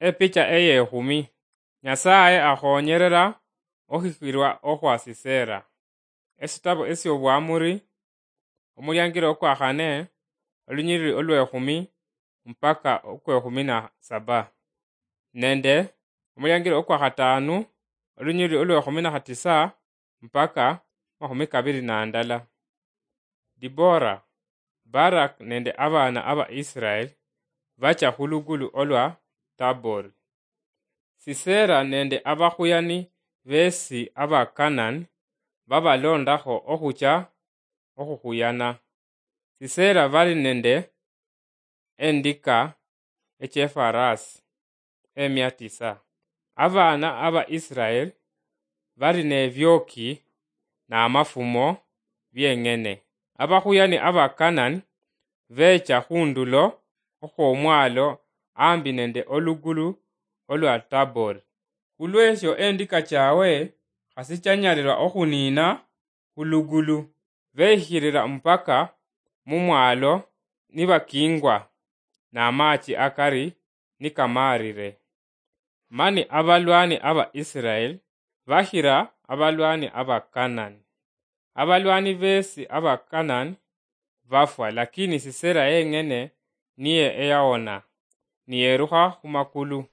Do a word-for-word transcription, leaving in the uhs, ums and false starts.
Epicha eyekhumi. Nyasaye akhonyerera okhukhirwa okhwa Sisera. Esitabo esyobwamuri, omuliangiro okwakhane, olunyiriri olwekhumi mpaka okwekhumi na saba, nende omuliangiro okwakhatanu, olunyiriri olwekhumi na khatisa mpaka makhumi kabiri na ndala. Dibora, Barak nende abaana aba Israel bacha khulugulu olwa Tabori. Sisera nende abakhuyani besi aba Kanani babalondakho okhucha okhukhuyana. Sisera bali nende endika echefarasi emia tisa. Abaana aba Israel bali nebioki namafumo bieng'ene. Abakhuyani aba Kanani becha khundulo okhwomwalo ambi nende olugulu olwa Tabori. Khulwesho endika chawe khasichanyalirwa okhunina khulugulu. Beyikhirira mpaka mumwalo nibakingwa namachi akari nikamarire. Mani abalwani aba Israel bakhira abalwani aba Kanani. Abalwani besi aba Kanani bafwa, lakini Sisera yeng'ene niye eyawona, niyerukha khumakulu.